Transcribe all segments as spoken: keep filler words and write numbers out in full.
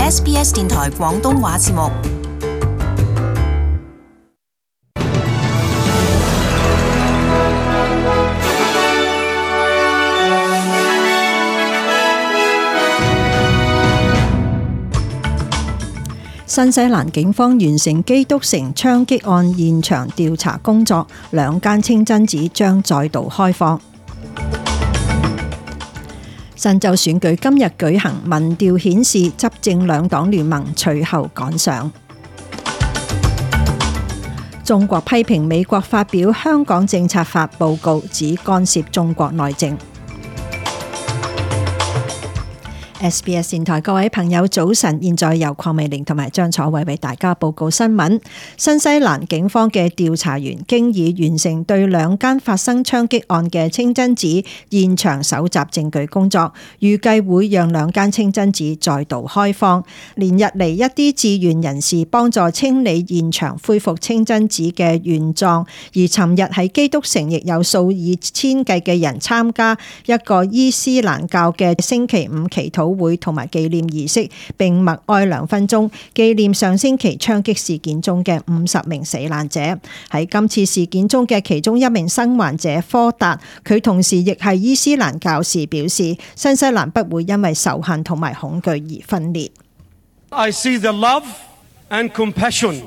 S B S 電台廣東話節目。新西蘭警方完成基督城槍擊案現場調查工作，兩間清真寺將再度開放。新州選舉今日舉行，民調顯示執政兩黨聯盟隨後趕上。中國批評美國發表香港政策法報告，指干涉中國內政。S B S 電台各位朋友早晨，現在由鄺美玲同埋張楚偉為大家報告新聞。新西蘭警方嘅調查員經已完成對兩間發生槍擊案嘅清真寺現場搜集證據工作，預計會讓兩間清真寺再度開放。連日嚟一啲志願人士幫助清理現場，恢復清真寺嘅原狀，而尋日喺基督城亦有數以千計嘅人參加一個伊斯蘭教嘅星期五祈禱會同埋紀念儀式，並默哀兩分鐘，紀念上星期槍擊事件中嘅五十名死難者。喺今次事件中嘅其中一名生還者科達，佢同時亦係伊斯蘭教士，表示新西蘭不會因為仇恨同埋恐懼而分裂。I see the love and compassion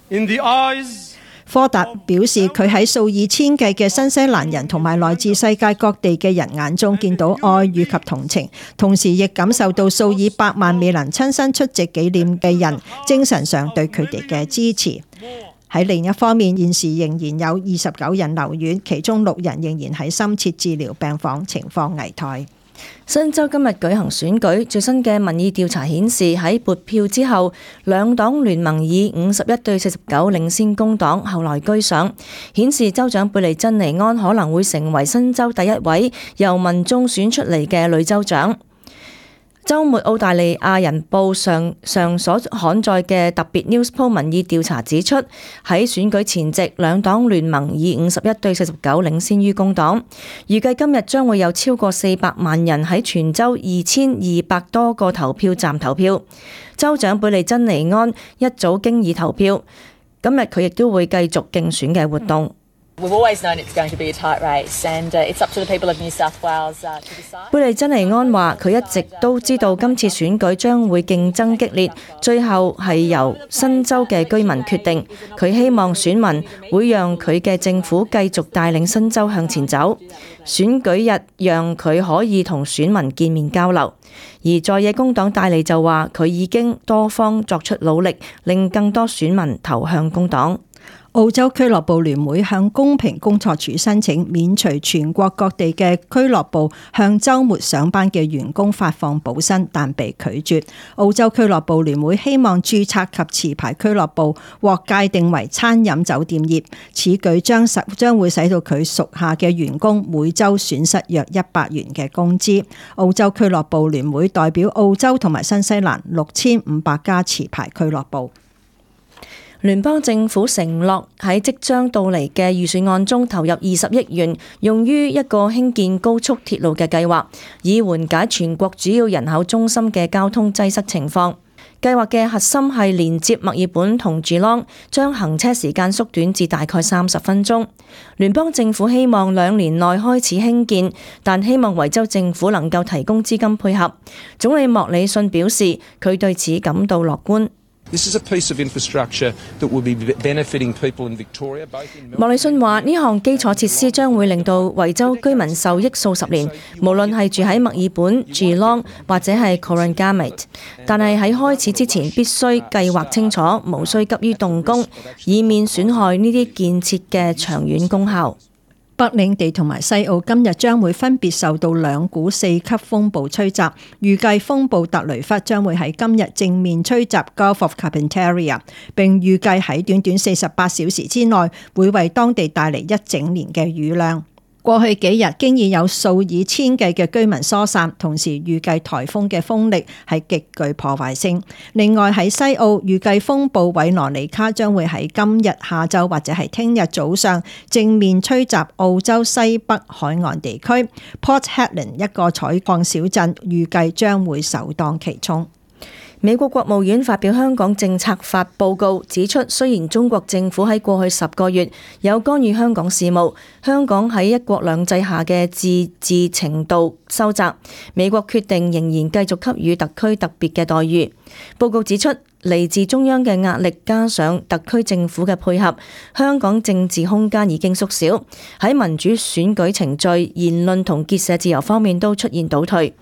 in the eyes。科達表示，佢喺數以千計嘅新西蘭人同埋來自世界各地嘅人眼中見到愛與及同情，同時亦感受到數以百萬未能親身出席紀念嘅人精神上對佢哋嘅支持。喺另一方面，現時仍然有二十九人留院，其中六人仍然喺深切治療病房，情況危殆。新州今日舉行選舉，最新嘅民意調查顯示，喺撥票之後，兩黨聯盟以五十一對四十九領先工黨，後來居上，顯示州長貝利珍妮安可能會成為新州第一位由民眾選出嚟嘅女州長。週末澳大利亞人報上上所刊載嘅特別 News Poll 民意調查指出，喺選舉前夕，兩黨聯盟以五十一對四十九領先於工黨。預計今日將會有超過四百萬人喺全州二千二百多個投票站投票。州長貝利珍妮安一早經已投票，今日佢亦都會繼續競選嘅活動。We've always known it's going to be a tight race, and uh, it's up to the people of New South Wales uh, to decide. 貝利珍妮安話：佢一直都知道今次選舉將會競爭激烈，最後係由新州嘅居民決定。佢希望選民會讓佢嘅政府繼續帶領新州向前走。選舉日讓佢可以同選民見面交流。而在野工黨戴利就話：佢已經多方作出努力，令更多選民投向工黨。澳洲俱樂部聯會向公平工作處申請免除全國各地嘅俱樂部向週末上班嘅員工發放補薪，但被拒絕。澳洲俱樂部聯會希望註冊及持牌俱樂部獲界定為餐飲酒店業，此舉將實將會使到佢屬下嘅員工每週損失約一百元嘅工資。澳洲俱樂部聯會代表澳洲同埋新西蘭六千五百家持牌俱樂部。聯邦政府承諾喺即將到嚟嘅預算案中投入二十億元，用於一個興建高速鐵路嘅計劃，以緩解全國主要人口中心嘅交通擠塞情況。計劃嘅核心係連接墨爾本同吉朗，將行車時間縮短至大概三十分鐘。聯邦政府希望兩年內開始興建，但希望維州政府能夠提供資金配合。總理莫里遜表示，佢對此感到樂觀。This is a piece of infrastructure that will be benefiting people in Victoria. 莫里遜話：呢項基礎設施將會令到維州居民受益數十年，無論係住喺墨爾本、Geelong 或者係 Corangamite。但係喺開始之前必須計劃清楚，無需急於動工，以免損害呢啲建設嘅長遠功效。北領地同埋西澳今日將會分別受到兩股四級風暴吹襲，預計風暴特雷弗將會喺今日正面吹襲 Gulf of Carpentaria， 並預計喺短短四十八小時之內會為當地帶嚟一整年嘅雨量。過去幾日經已有數以千計嘅居民疏散，同時預計颱風嘅風力係極具破壞性。另外喺西澳預計風暴韋羅尼卡將會喺今日下晝或者係聽日早上正面吹襲澳洲西北海岸地區。Port Hedland 一個採礦小鎮預計將會首當其衝。美國國務院發表香港政策法報告，指出雖然中國政府喺過去十個月有干預香港事務，香港喺一國兩制下嘅自治程度收窄，美國決定仍然繼續給予特區特別嘅待遇。報告指出，嚟自中央嘅壓力加上特區政府嘅配合，香港政治空間已經縮小，喺民主選舉程序、言論同結社自由方面都出現倒退。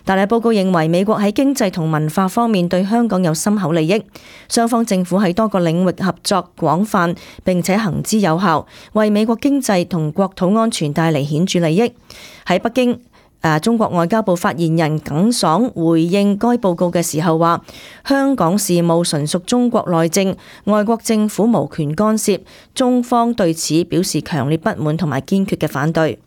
但係報告認為美國喺經濟同文化方面對香港有深厚利益，雙方政府喺多個領域合作廣泛並且行之有效，為美國經濟同國土安全帶嚟顯著利益。喺北京，誒中國外交部發言人耿爽回應該報告嘅時候話，香港事務純屬中國內政，外國政府無權干涉，中方對此表示強烈不滿同埋堅決嘅反對。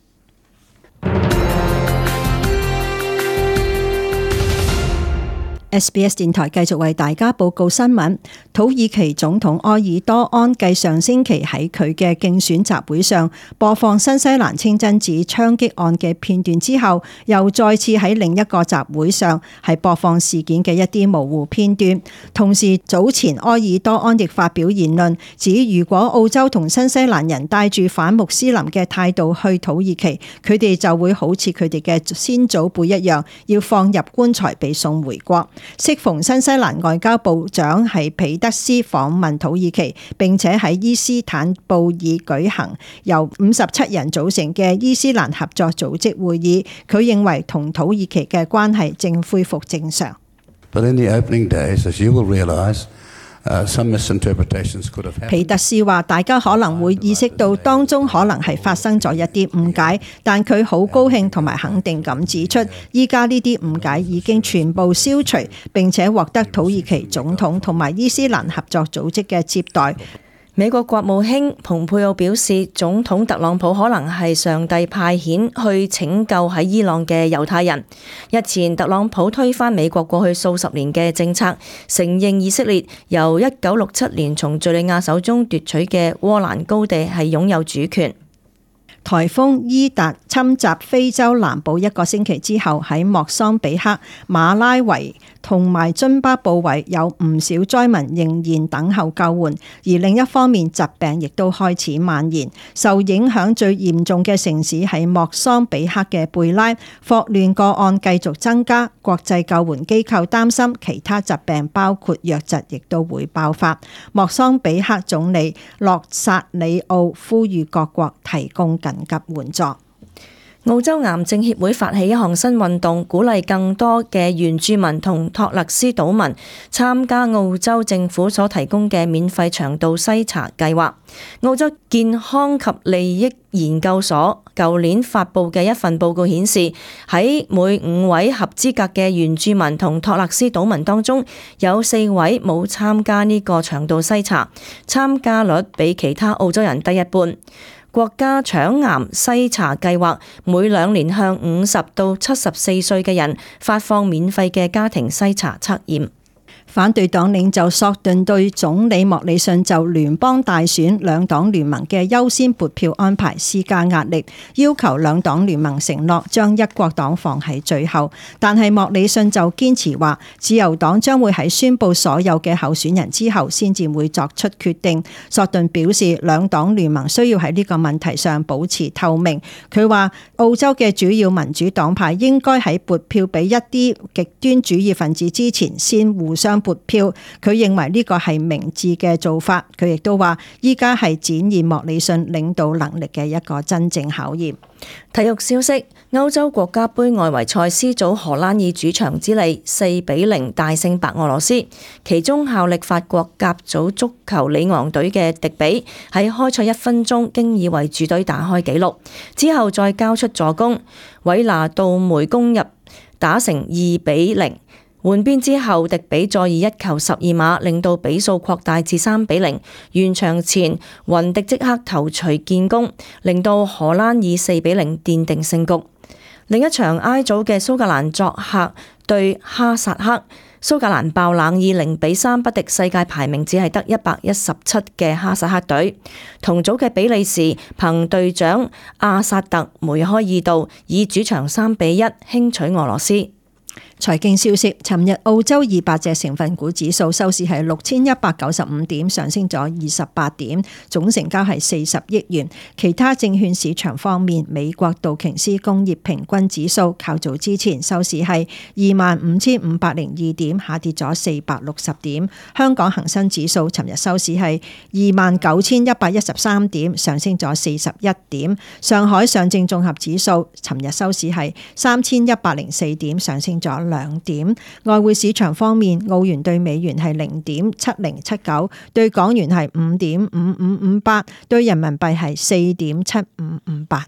S B S 電台繼續為大家報告新聞。土耳其總統埃爾多安繼上星期喺佢嘅競選集會上播放新西蘭清真寺槍擊案嘅片段之後，又再次喺另一個集會上係播放事件嘅一啲模糊片段。同時，早前埃爾多安亦發表言論，指如果澳洲同新西蘭人帶住反穆斯林嘅態度去土耳其，佢哋就會好似佢哋嘅先祖輩一樣，要放入棺材被送回國。適逢新西蘭外交部長係彼得斯訪問土耳其，並且喺伊斯坦布爾舉行由五十七人組成嘅伊斯蘭合作組織會議，佢認為同土耳其嘅關係正恢復正常。But in the opening days, as you will realize, Uh, some misinterpretations could have happened. 彼得斯話：大家可能會意識到當中可能係發生咗一啲誤解，但佢好高興同埋肯定咁指出，依家呢啲誤解已經全部消除，並且獲得土耳其總統同埋伊斯蘭合作組織嘅接待。美國國務卿蓬佩奧表示，總統特朗普可能係上帝派遣去拯救喺伊朗嘅猶太人。日前，特朗普推翻美國過去數十年嘅政策，承認以色列由一九六七年從敘利亞手中奪取嘅戈蘭高地係擁有主權。颱風伊達侵襲非洲南部一個星期之後，喺莫桑比克、馬拉維同埋津巴布韋有唔少災民仍然等候救援，而另一方面疾病亦都開始蔓延。受影響最嚴重嘅城市係莫桑比克嘅貝拉，霍亂個案繼續增加，國際救援機構擔心其他疾病包括瘧疾亦都會爆發。莫桑比克總理洛薩里奧呼籲各國提供緊急援助。澳洲癌症協會發起一項新運動，鼓勵更多嘅原住民同托勒斯島民參加澳洲政府所提供嘅免費腸道篩查計劃。澳洲健康及利益研究所舊年發布嘅一份報告顯示，喺每五位合資格嘅原住民同托勒斯島民當中，有四位冇參加呢個腸道篩查，參加率比其他澳洲人低一半。國家腸癌篩查計劃每兩年向五十到七十四歲嘅人發放免費嘅家庭篩查測驗。反對黨領袖索頓對總理莫里遜就聯邦大選兩黨聯盟嘅優先撥票安排施加壓力，要求兩黨聯盟承諾將一國黨放喺最後。但係莫里遜就堅持話，自由黨將會喺宣布所有嘅候選人之後先至會作出決定。索頓表示，兩黨聯盟需要喺呢個問題上保持透明。佢話澳洲嘅主要民主黨派應該喺撥票俾一啲極端主義分子之前先互相撥票，佢認為呢個係明智嘅做法。佢亦都話依家係展現莫里遜領導能力嘅一個真正考驗。體育消息：歐洲國家盃外圍賽 C 組，荷蘭以主場之利四比零大勝白俄羅斯，其中效力法國甲組足球里昂隊嘅迪比喺開賽一分鐘經已為主隊打開紀錄，之後再交出助攻，韋拿杜梅攻入，打成二比零。換邊之後，迪比再以一球十二碼令到比數擴大至三比零。完場前，雲迪即刻頭槌建功，令到荷蘭以四比零奠定勝局。另一場 I 組嘅蘇格蘭作客對哈薩克，蘇格蘭爆冷以零比三不敵世界排名只係得一百一十七嘅哈薩克隊。同組嘅比利時憑隊長阿薩特梅開二度，以主場三比一輕取俄羅斯。財經消息，尋日澳洲二百隻成分股指數收市係六千一百九十五點，上升咗二十八點，總成交係四十億元。其他證券市場方面，美國道瓊斯工業平均指數較早之前收市係二萬五千五百零二點，下跌咗四百六十點。香港恒生指數尋日收市係二萬九千一百一十三點，上升咗四十一點。上海上證綜合指數尋日收市係三千一百零四點，上升咗兩點。外匯市場方面，澳元對美元係零點七零七九，對港元係五點五五五八，對人民幣係四點七五五八。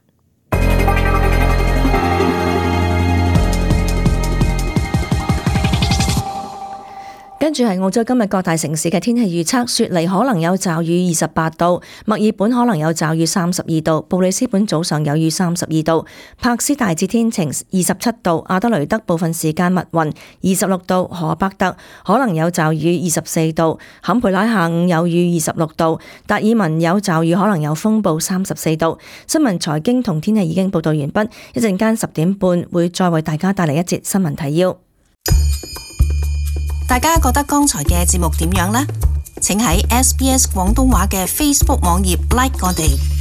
跟住係澳洲今日各大城市嘅天氣預測，雪梨可能有驟雨二十八度，墨爾本可能有驟雨三十二度，布里斯本早上有雨三十二度，柏斯大致天晴二十七度，阿德雷德部分時間密雲二十六度，荷伯特可能有驟雨二十四度，坎培拉下午有雨二十六度，達爾文有驟雨可能有風暴三十四度。新聞財經同天氣已經報道完畢，一陣間十點半會再為大家帶嚟一節新聞提要。大家覺得剛才嘅節目點樣呢？請喺 S B S 廣東話嘅 Facebook 網頁 like 我哋。